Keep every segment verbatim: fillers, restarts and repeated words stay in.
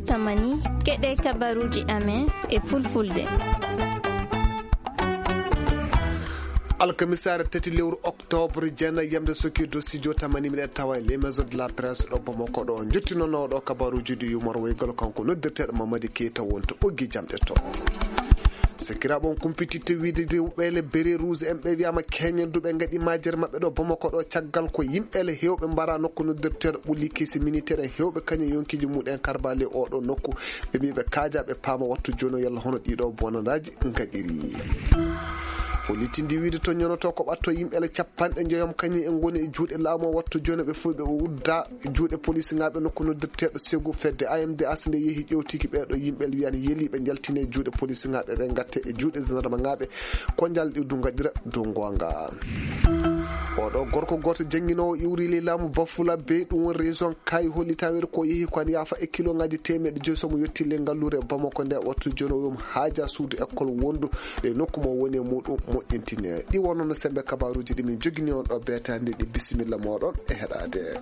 Tamani, keɗe kabaruuji amen e fulfulde. Alkamisaare tati lewru oktoobre, jeenay yamde soki dow studio tamani, miɗen tawa e les maisons de la presse ɗo Bamako ɗo. Njottinono ɗo kabaruuji ɗi yumor woygol kanko noddirteeɗo Mamadi Keita wonto ɓoggi jamɗe to. Sakiraaɓe, on kumpititte wiide rewɓe le bérets rouges en ɓe wiyaama keñen du ɓe ngaɗi majere maɓɓe ɗo Bamako ɗo caggal ko yimɓe le heewɓe mbara nokku noddirteeɗo ɓulli kesi militaire en heewɓe kañum yonkiiji mumen karbale oɗo nokku. Ɓe mbii ɓe kaaja ɓe paama wattu jooni o yalla hono ɗiɗo bonandaaji ngaɗiri. Hollitindi wiide to ñonoto ko ɓatto yimɓe le capanɗe njoyom kañum en ngoni e juuɗe laamu o wattu jooni ɓe fof ɓe udda juuɗe polisinaaɓe nokku noddirteeɗo Segu fedde A M D H nde yehi ƴewtiki ɓeeɗo yimɓe le wiyan yeli ɓe njaltine juuɗe polisinaaɓe ɓe ngatte e juuɗe gendarmenaaɓe ko njalɗi du ngaɗira dow ngoonga. Oɗo gorko gooto jannginoowo iwri ley laamu Bafula Bey ɗum woni région Kay hollitaa wiyde ko yehi ko an yaafa e kilongaaji teemeɗɗe joyi so mo yotti ley ngalluure Bamako nde wattu jooni o wi'um haaja suudu école wondu e nokku mo woni e muɗum moƴƴintine. Ɗi wonno no sembe kabaruuji ɗi min jogini on ɗo beetaande ɗi bisimilla mooɗon e heɗaade.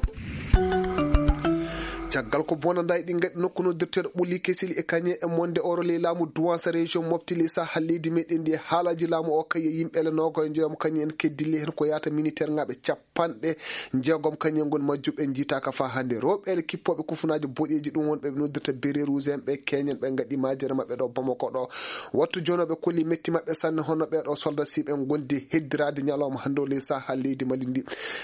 Caggal ko bonandaay ɗi ngaɗi nokku noddirteeɗo ɓulli kesili e kañe e monde oro ley laamu duwansa région mofti ley saha leydi meɗen ndi e haalaaji laamu o kay e yimɓe le noogo e njoyam kañum en keddilli heen ko yaata militaire ŋaaɓe capanɗe jeegom kañum en ngoni majjuɓe njiitaaka faa hannde rewɓe le kippooɓe kufunaaji boɗeeji ɗum wonɓe ɓe noddirta bérets rouges en ɓe keñen ɓe ngaɗi majere maɓɓe ɗo Bamako ɗo. Wattu jooni o ɓe kolli metti maɓɓe sanne hono ɓee ɗo soldat siɓe ngondi heddiraade ñalawma hannde o ley saha leydi Mali ndi.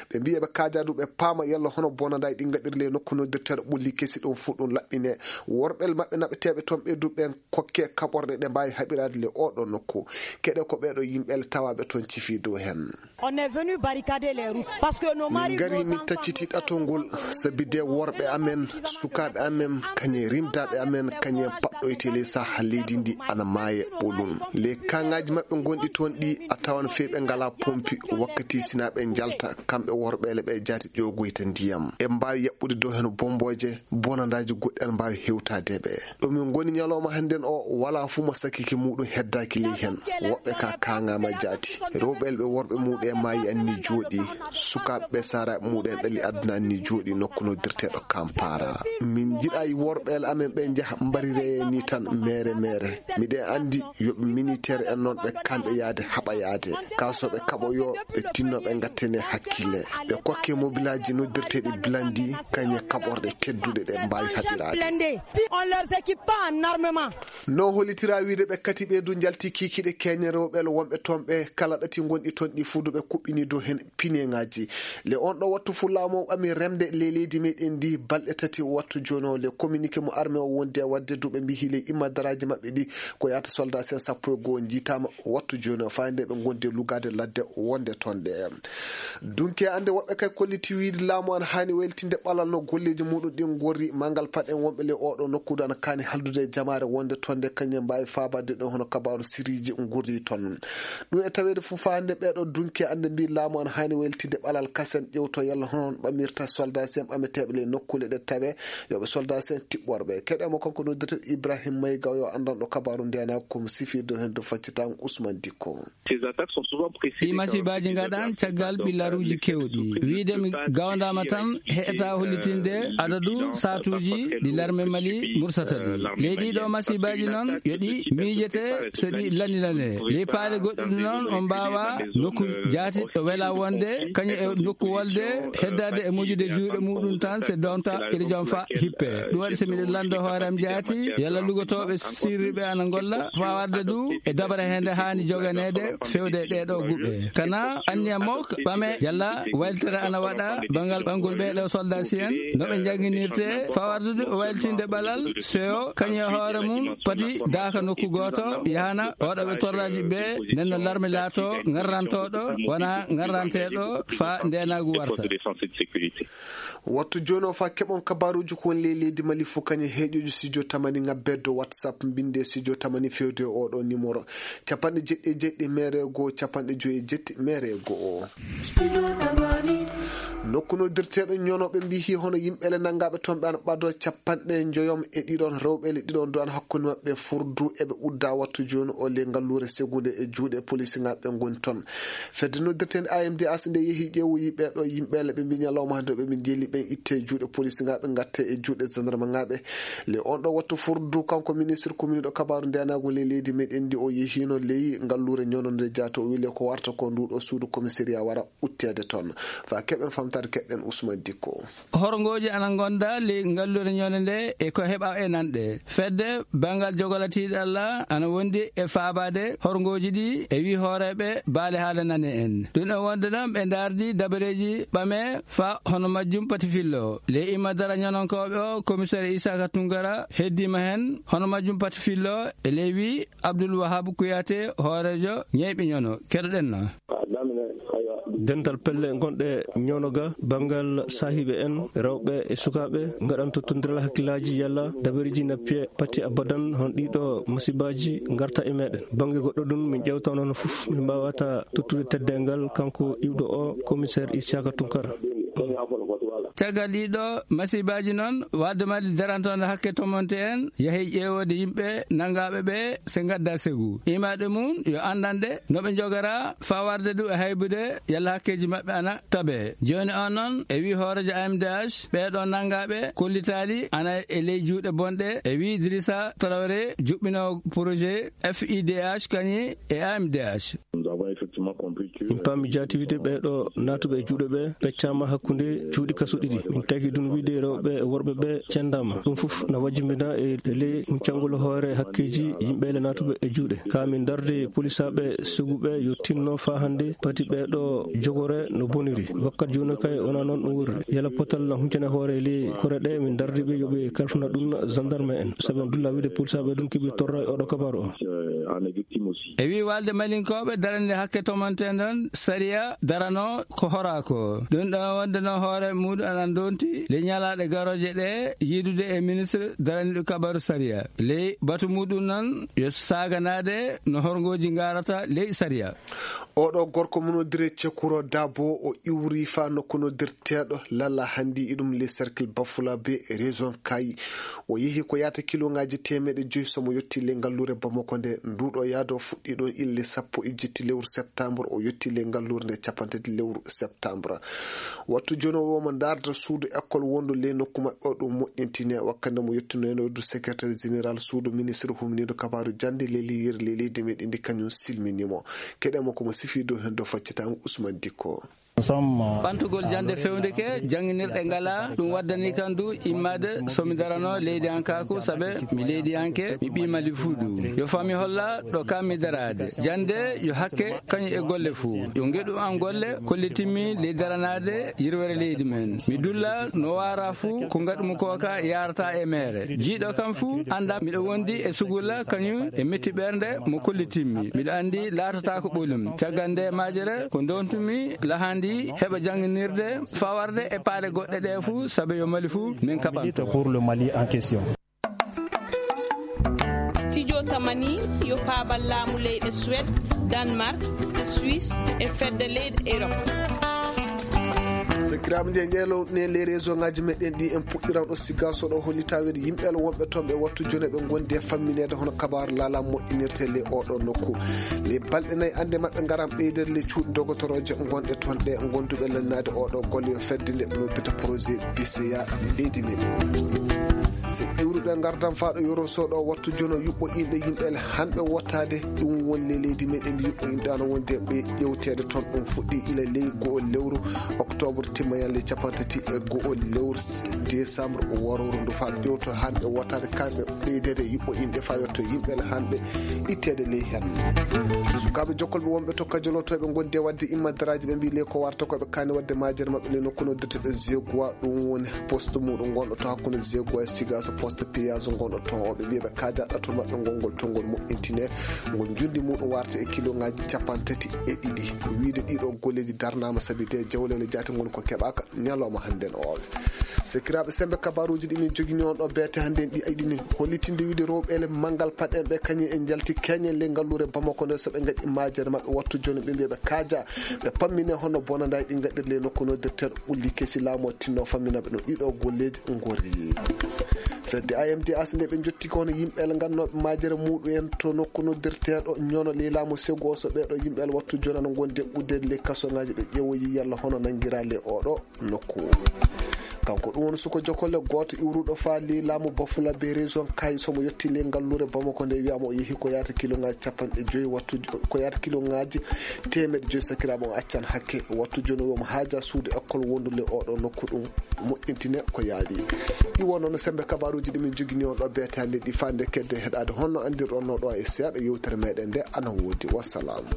Ɓe mbii eɓe kaaja du ɓe paama yalla hono bonandaay ɗi ngaɗiri ley nokku noddirteeɗo ɓulli kesi ɗum fuu ɗum laɓɓine. Worɓe maɓɓe naɓeteeɓe toon ɓe du ɓen kokke kaɓorɗe ɗe mbaawi haɓiraade le oɗo nokku. Keɗe ko ɓee ɗo yimɓe le tawaaɓe toon cifi dow heen. On est venu barricader les routes parce que nos maris, min ngari nos min enfants, tacciti ɗatol ngol sabi de worɓe amen, sukaaɓe amen, kañe rimdaaɓe amen, kañe paɗɗoyte ley saha leydi ndi ana maaya ɓolum. Les kangaaji maɓɓe ngonɗi toon ɗi a tawan fey ɓe ngalaa pompi wakkati sinaa ɓe njalta kamɓe worɓe le ɓe jaati ƴoogoyta ndiyam. E mbaawi yaɓɓude dow heen bombooje, bonandaaji goɗɗi ana mbaawi hewtaade ɓe. Ɗo min ngoni ñalawma hannden o walaa fuu mo sakike muuɗum heddaaki ley heen. Woɓɓe ka kaangaama jaati. Rewɓe le ɓe worɓe muuɗum en maayi anni jooɗi. Sukaaɓe ɓe saaraaɓe muuɗum en ɗali aduna anni jooɗi nokku noddirteeɗo Kampala. Min njiɗaay worɓe le amen ɓe njaha mbariree ni tan meere meere. Miɗen anndi yo ɓe militaire en noon ɓe kanɓe yaade haɓa yaade. Kaa so ɓe kaɓo yo ɓe tinno ɓe ngattene hakkille. Ɓe kokke mobilaaji noddirteeɗi blandi kañe kaɓorɗe tedduɗe ɗe mbaawi haɓiraade. Blindés. Si on ne les équipe pas en armement. No hollitiraa wiide ɓe kati ɓee du njalti kiikiiɗe keeñe rewɓe le wonɓe toon ɓe kala ɗati ngonɗi toon ɗi fuu du ɓe kuɓɓini dow heen pineŋaaji. Le on ɗo wattu fuu laamu o ɓami remde ley leydi meɗen ndi balɗe tati wattu jooni o le communiqué mo armée o wondi e waɗde du ɓe mbihi ley immadaraaji maɓɓe ɗi ko yaata soldat sen sappo e goo njiitaama wattu jooni o faa nde ɓe ngondi e lugaade ladde wonde toon ɗe. Dunke annde woɓɓe kay kolliti wiide laamu an haani waylitinde ɓalal no golleeji muuɗum ɗin ngorri. Manngal paɗen wonɓe ley oɗo nokkuudu ana kaani haldude e jamaare wonde toon nde kañum mbaawi faabaade ɗo hono kabaaru siriiji ngorri toon. Ɗum e taweede fof faa hannde ɓeeɗo dunke annde mbii laamu an haani waylitinde ɓalal kasen ƴewto yalla hono on ɓamirta soldat sen ɓameteeɓe ley nokkuule ɗe tawee yoɓe soldat sen tiɓɓorɓe. Keɗe mo kanko noddirten Ibrahim Mayga o yo anndanɗo kabaaru ndeenaagu ko mo sifirde heen dow faccitaango Ousmane Dikko. Ces attaques sont souvent précédées. Ɗii masiibaaji ngaɗan caggal ɓillaruuji keewɗi. Wiide mi gawndaama tan heɓataa hollitinde adadu saatuuji ɗi larme Mali mursata ɗi. Ley ɗii ɗoo masiibaaji noon yo ɗi miijete so ɗi lanilanee. Ley paale goɗɗi noon on mbaawaa nokku jaati ɗo welaa wonde kañum e nokku wolde heddaade e mojude juuɗe muuɗum tan se donta iri jam fa hippe. Ɗum waɗi so miɗo lanndo hoore am jaati yalla lugotooɓe sirri ɓe ana ngolla faa warde du e dabare hee nde haani joganeede fewde e ɗee ɗoo guɓe. Kana anniya mo ɓame yalla wayltere ana waɗa banngal ɓanngol ɓee ɗoo soldat si en no ɓe njannginirtee faa warde du e wayltinde ɓalal seyo kañum e hoore mum pati daaka nokku gooto yahana waɗooɓe torraaji ɓe nden no larme laatoo ngarrantooɗo wonaa ngarranteeɗo faa ndeenaagu warta. Wattu jooni o faa keɓon kabaaruuji ko woni ley leydi Mali fof kañum heeƴooji studio tamani ŋabbeede dow WhatsApp mbinnde studio tamani fewde e oɗo numéro capanɗe jeɗɗi e jeɗɗi mere e goo capanɗe joyi e jetti mere e goo. Nokku noddirteeɗo ñonooɓe mbihi hono yimɓe le nanngaaɓe toon ɓe ana ɓadoo capanɗe njoyom e ɗiɗon rewɓe le ɗiɗon du ana hakkunde maɓɓe furdu eɓe udda wattu jooni o le ngalluure segunde e juuɗe polisiŋaaɓe ngoni toon. Fedde Nde noddirten A M D H nde yehi ƴeewoyi ɓee ɗoo yimɓe, ɓe mbii ñalawma hannde ɓe min njeeli ɓen itte e juuɗe polisinŋaaɓe, ngatte e juuɗe sandarmaaɓe. Le on ɗoo wattu furdu, kanko ministre kominiiɗo kabaaru ndeenaagu ley leydi meɗen ndi, o yehiino ley ngalluure ñono nde jaati, o wii le ko warta ko nduu ɗoo suudu komisariyaa wara utteede toon. Faa keɓen famtaade, keɗɗen Usman Dikko. Horngooji ana ngonda ley ngalluure ñono nde e ko heɓa e nanɗe. Fedde banngal jogolatiiɗalla ana wondi e faabaade horngooji ɗi e wii hooreeɓe baale haala nane en. Ɗum e wonde ɗon ɓe ndaardi dabareeji ɓame fa hono majjum pati fillo. Ley imma dara ñononkooɓe o, komiseer Isaaka Tunkara heddiima hen hono majjum pati fillo e ley wii Abdul Wahab Kuyate, hooreejo ñeyɓe ñono. Keɗoɗen na. Dental pelle gonɗe ñono ga banngal saahiiɓe en rewɓe e sukaaɓe ngaɗan tottondiral hakkillaaji yalla dabareeji na piye pati abadan hon ɗiɗo masibaaji ngarta e meɗen. Bannge goɗɗo ɗum min ƴewta noon fof min mbaawata tottude teddeengal kanko iwɗo o, komiseer Isiaka Tunkara. Caggal ɗiɗo masibaaji noon, wadde mali darantoonde hakke tomonte en, yahi ƴeewoode yimɓe nanngaaɓe ɓe, se ngadda segu. Imaade mum yo anndanɗe no ɓe njogora, faa warde du e haybude, yalla hakkeeji maɓɓe ana tabe. Jooni o noon, e wii hooreejo A M D H, ɓee ɗoo nanngaaɓe kollitaali ana e ley juuɗe bonɗe, e wii Idrissa Traoré, juɓɓinoowo projet F I D H kañum e A M D H. Nous avons effectivement compris que min paami jaati wiide ɓee ɗoo naatuɓe e juuɗe ɓe peccaama hakkunde cuuɗi kaso ɗiɗi. Min tagi ɗum wiide rewɓe e worɓe ɓe cenndaama. Ɗum fof na wajjimbina e ley huncangol hoore hakkeeji yimɓe le naatuɓe e juuɗe. Ka min darde polisaaɓe suguɓe yo tinno faa hannde pati ɓee ɗoo jogore no boniri. Wakkat jooni kay wonaa noon ɗum woni. Yala potal na huncane hoore ley kore ɗe min dardi ɓe yo ɓe kalfana ɗum gendarme en. Sabi on dulla wiide polisaaɓe ɗum keɓi torra e oɗo kabaru o. E wii walde malinkooɓe darande hakke tomanten ɗon sariya darano ko horaa ko. Ɗum ɗo wonde noon hoore muɗum ana ndonti ley ñalaaɗe garooje ɗe yiidude e ministre daraniiɗo kabaru sariya. Ley batu muɗum noon yo saaganaade no horngooji ngarata ley sariya. Oɗo gorko mo noddiree Cekuro Dabo, o iwri faa nokku noddirteeɗo Lala Handi, iɗum ley cercle Bafulabe, région Kayi. O yehi ko yaata kiloŋaaji teemeɗe joy so mo yotti ley ngalluure Bamako nde. Nduuɗo yaado fuɗɗi ɗon ille sappo e jetti lewru septembre, o yotti ley ngalluure nde cappanɗe tati lewru septembre. Wattu jooni o wi'omo ndaarda suudu ekkol wondu ley nokku maɓɓe o ɗum moƴƴintine. Wakkati nde mo yettunoyno du secrétaire général suudu ministre humniiɗo kabaaru jannde ley leydi meɗen ndi kañum silminii mo. Keɗen mo ko mo sifii dow heen dow faccitaango Usman Dikko. Ɓantugol jannde fewndike, jannginirɗe ngalaa, ɗum waddanii kam du immaade so mi daranoo leydiyankaaku, sabe mi leydiyanke, mi ɓii Mali fuu du. Yo fami holla ɗo kam mi daraade. Jannde yo hakke kañum e golle fuu. Yo ngeɗu am golle kollitinmi ley daranaade yirwere leydi men. Mi dulla no waaraa fuu ko ngaɗumi koo ka yaarata e meere. Jiiɗo kam fuu annda miɗo wondi e sugulla kañum e metti ɓernde mo kollitinmi. Miɗo anndi laatataako ɓolum. Caggal nde majere ko ndontumi lahandi heɓa jannginirde fawarde e paale goɗɗe ɗe fuu sabe yo Mali fuu min kaɓanto. Pour le Mali en question. Studio Tamani yo paabal laamu leyɗe Suède, Danemark, Suisse e fedde leyɗe Europe. Sakiraaɓe, nde ƴeelow ne ley réseau ŋaaji meɗen ɗi en puɗɗiran ɗo Sigaso ɗo, hollitaa wiyde yimɓe wonɓe toon ɓe wattu jooni ɓe ngondi e fammineede hono kabaaru laalaa moƴƴinirtee ley oo ɗoo nokku. Ley balɗe nayi annde maɓɓe ngaran ɓeydere ley cuuɗi dogotorooje ngonɗe toon ɗe, gonduɓe lannaade oo ɗoo golle yo fedde nde ɓe noddata projet B C A e leydi meɗen. So iwruɗo e ngardan faa ɗo Yoro Sow ɗo wattu jono yuɓɓo inɗe yimɓe hanɓe wottaade, ɗum woni le leydi meɗen ndi yuɓɓo inɗe ana wondi e ɓe ƴewteede toon. Ɗum fuɗɗi ila ley go'o lewru octobre timma yan ley cappanɗe tati e go'o lewru décembre warooru ndu faa ƴewto hanɓe wottaade kamɓe ɓeydeede yuɓɓo inɗe faa yotto yimɓe hanɓe itteede ley hen. Sukaaɓe jokkolɓe wonɓe to Kajolotooɓe ngondi e waɗde immadaraaji, ɓe mbii le ko warta ko ɓe kaani waɗde majere maɓɓe le nokku noddirteɗo Zegua, ɗum woni poste muɗum ngonɗo to hakkunde Zegua e Sigaso, poste piyaaso ngonɗo toon o. Ɓe mbii ɓe kaaja ɗatol maɓɓe ngol, ngol toon ngol moƴƴintine, ngol njundi muɗum warta e kiloŋaaji cappanɗe tati e ɗiɗi. Wiide ɗiɗo golleeji darnaama sabi de jawleele jaate ngoni ko keɓaaka ñalawma hannden o. Sakiraaɓe, sembe kabaaruuji ɗi min jogini on ɗo beete hannden ɗi, aɗi ni hollitinde wiide rewɓe le manngal paɗen ɓe kañum en njalti keñen le ngalluure Bamako nde, so ɓe ngaɗi majere maɓɓe wattu jooni ɓe mbiya ɓe kaaja, ɓe pammine hono bonandaay ɗi ngaɗir le nokku noddirteeɗo Ulli Kesi laamu o tinno famminaɓe no ɗiɗo golleeji ngori. Fedde A M D H nde ɓe njotti ko hono yimɓe el ngannooɓe maajere muɗum en to nokku noddirteeɗo Ñono ley laamu Segu o, so ɓeeɗo yimɓe el wattu jooni ana ngondi e ɓuddeede ley kasoŋaaji, ɓe ƴeewoyi yalla hono nanngiraa ley oɗo nokku. Kanko ɗum woni suko jokolle gooto iwruɗo faa ley laamu Bafulabe région Kayes, so mo yotti ley ngalluure Bamako nde wiyaama o yehi ko yaata kiloŋaaji capanɗe joyi wattu, ko yaata kiloŋaaji teemeɗɗe joyi sakiraaɓe on accan hakke. Wattu jooni o wiyaama haaja suudu ekkol wondu ley oɗo nokku ɗum moƴƴintine ko yaawi. Ɗi wonno no semmbe kabaaruuji ɗi min njogini on ɗo beetaali ɗi faa nde kedde heɗaade honno anndirɗon no ɗo e seeɗa yewtere meɗen nde ana woodi. Wassalaamu.